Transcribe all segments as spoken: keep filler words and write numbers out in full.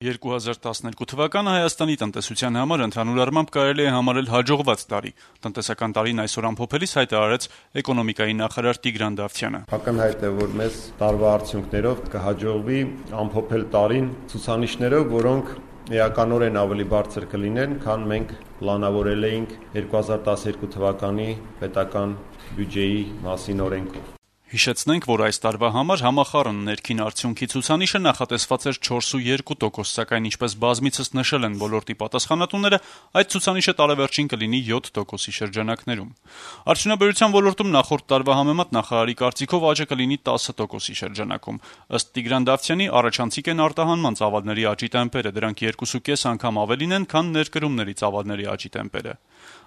երկու հազար տասներկու թվականը Հայաստանի տնտեսության համար ընդհանուր առմամբ կարելի է համարել հաջողված տարի։ Տնտեսական տարին այսօր ամփոփելիս հայտարարեց էկոնոմիկայի նախարար Տիգրան Դավթյանը։ Ակնհայտ է, որ մեզ տարվա արդյունքներով կհաջողվի ամփոփել տարին ցուցանիշներով, որոնք էականորեն ավելի բարձր կլինեն, քան մենք պլանավորել էինք երկու հազար տասներկու թվականի պետական բյուջեի մասին օրենքով։ Հիշեցնենք, որ այս տարվա համար համախառն ներքին արդյունքի ցուցանիշը նախատեսված էր չորս ու երկու տոկոս, սակայն ինչպես բազմիցս նշել են ոլորտի պատասխանատուները, այդ ցուցանիշը տարեվերջին կլինի յոթ տոկոսի շրջանակներում։ Արդյունաբերության ոլորտում նախորդ տարվա համեմատ նախարարի կարծիքով աճը կլինի տասը տոկոսի շրջանակում։ Ըստ Տիգրան Դավթյանի, առաջանցիկ են արտահանման ծավալների աճի տեմպերը, դրանք երկուսուկես անգամ ավելին են, քան ներկրումների ծավալների աճի տեմպերը։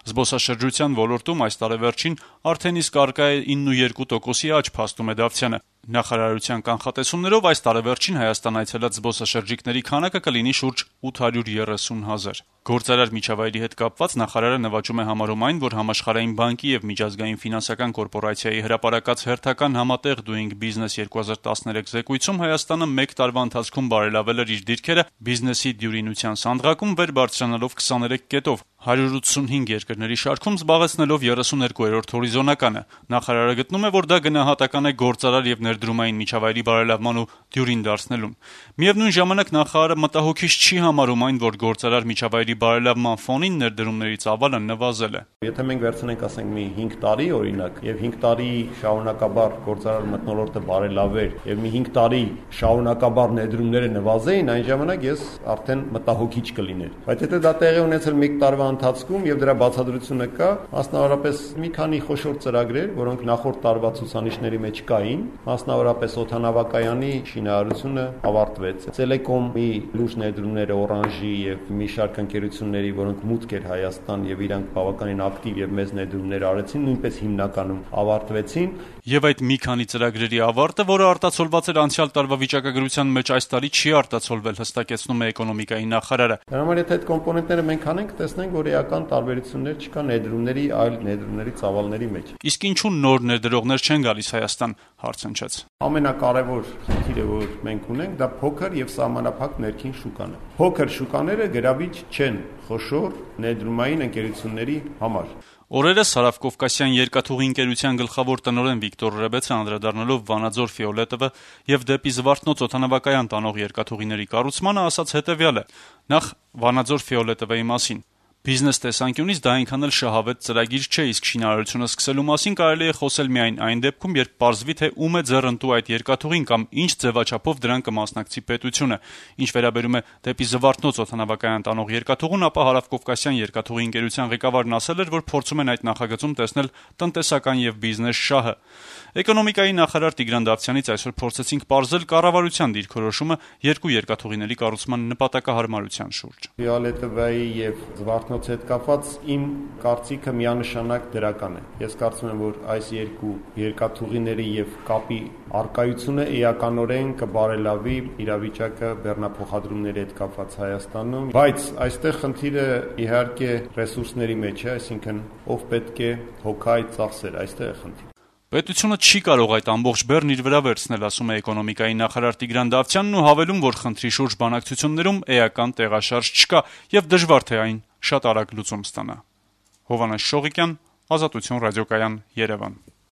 Զբոսաշրջության ոլորտում այս տարեվերջին արդեն իսկ առկա է ինը ու երկու տոկոսի աճ, փաստում է Դավթյանը։ Նախարարության կանխատեսումներով այս տարեվերջին Հայաստան այցելած զբոսաշրջիկների քանակը կլինի շուրջ ութ հարյուր երեսուն հազար։ Գործարար միջավայրի հետ կապված նախարարը նվաճում է համարում այն, որ Համաշխարհային բանկի եւ Միջազգային ֆինանսական կորպորացիայի հրապարակած հերթական համատեղ Doing Business երկու հազար տասներեք զեկույցում Հայաստանը մեկ տարվա ընթացքում բարելավել էր իր դիրքերը բիզնեսի դյուրինության սանդղակում, վեր բարձրանալով քսաներեք կետով, հարյուր ութսունհինգ երկրների շարքում զբաղեցնելով երեսուներկուերորդ հորիզոնականը։ Նախարարը գտնում է, որ դա գնահատական է գործարար եւ ներդրումային միջավայրի բարելավման ու դյուրին դարձնելուն։ Միևնույն ժամանակ նախարարը մտահոգիչ չի համարում այն, որ գործարար միջավայրի բարելավման ֆոնին ներդրումների ծավալը նվազել է։ Եթե մենք վերցնենք, ասենք, մի հինգ տարի օրինակ, եւ հինգ տարի շարունակաբար գործարար մթնոլորտը բարելավեր եւ մի հինգ տարի շարունակաբար ներդրումները նվազեին, այն ժամանակ ես արդեն մտահոգիչ կլիներ։ Բայց եթե դա տեղի ունեցել մեկ տարվա ընթացքում եւ դրա բացատրությունը կա, մասնավորապես մի քանի խոշոր ծրագրեր, որոնք նախորդ տարվա ցուցանիշների մեջ կային, մասնավորապես օդանավակայանի շինարարությունը ավարտվեց։ Տելեկոմի լուրջ ներդրումները Օրանժի եւ մի շարք ընկերությունների, որոնք մուտք էր Հայաստան եւ իրանք բավականին ակտիվ եւ մեծ ներդրումներ արեցին, նույնպես հիմնականում ավարտվեցին։ Եվ այդ մի քանի ծրագրերի ավարտը, որը արտացոլված էր անցյալ տարվա վիճակագրության մեջ, այս տարի չի արտացոլվել, հստակեցնում է էկոնոմիկայի նախարարը։ Դրա համար եթե այդ կոմպոնենտները մենք անենք, տեսնենք, որ էական տարբերություններ չկա ներդրումների այլ ներդրումների ծավալների մեջ։ Իսկ ինչու նոր ներդրողներ չեն գալիս Հայաստան, հարցնչեց։ Ամենակարևոր խնդիրը, որ մենք ունենք, դա փոքր եւ սահմանափակ ներքին շուկան է։ Փոքր շուկաները գրավիչ չեն խոշոր ներդրումային ընկերությունների համար։ Օրերս Հարավ Կովկասյան երկաթուղի ընկերության գլխավոր տնօրեն Վիկտոր Ռեբեցը անդրադառնալով Վանաձոր Ֆիոլետովը եւ դեպի Զվարթնոց օդանավակայան տանող երկաթուղիների կառուցմանը ասաց հետեւյալը. Նախ Վանաձոր Ֆիոլետովի մասին. Բիզնես տեսանկյունից դա այնքան էլ շահավետ ծրագիր չէ, իսկ շինարարությունը սկսելու մասին կարելի է խոսել միայն այն դեպքում, երբ պարզվի, թե ում է ձեռնտու այդ երկաթուղին կամ ինչ ձևաչափով դրան կմասնակցի պետությունը։ Ինչ վերաբերում է դեպի Զվարթնոց օդանավակայան տանող երկաթուղուն, ապա Հարավկովկասյան երկաթուղի ընկերության ղեկավարն ասել էր, որ փորձում են այդ նախագծում տեսնել տնտեսական եւ բիզնես շահը։ Էկոնոմիկայի նախարար Տիգրան Դավթյանից այսօր փորձեցինք պարզել կառավարության դիրքորոշումը երկու երկաթուղիների կառուցման նպատակահարմարության շուրջ։ Ֆիոլետովայի եւ Զվարթնոց հետ կապված իմ կարծիքը միանշանակ դրական է։ Ես կարծում եմ, որ այս երկու երկաթուղիների եւ կապի արկայությունը էականորեն կբարելավի իրավիճակը բեռնափոխադրումների հետ կապված Հայաստանում, բայց այստեղ խնդիրը իհարկե ռեսուրսների մեջ է, այսինքն ով պետք է հոգա այդ ծախսերը, այստեղ է խնդիրը։ Պետությունը չի կարող այդ ամբողջ բեռն իր վրա վերցնել, ասում է էկոնոմիկայի նախարար Տիգրան Դավթյանն ու հավելում, որ խնդրի շուրջ բանակցություններում էական տեղաշարժ չկա եւ դժվար թե այն շատ արագ լուծում ստանա։ Հովհաննես Շողիկյան, Ազատություն ռադիոկայան, Երևան։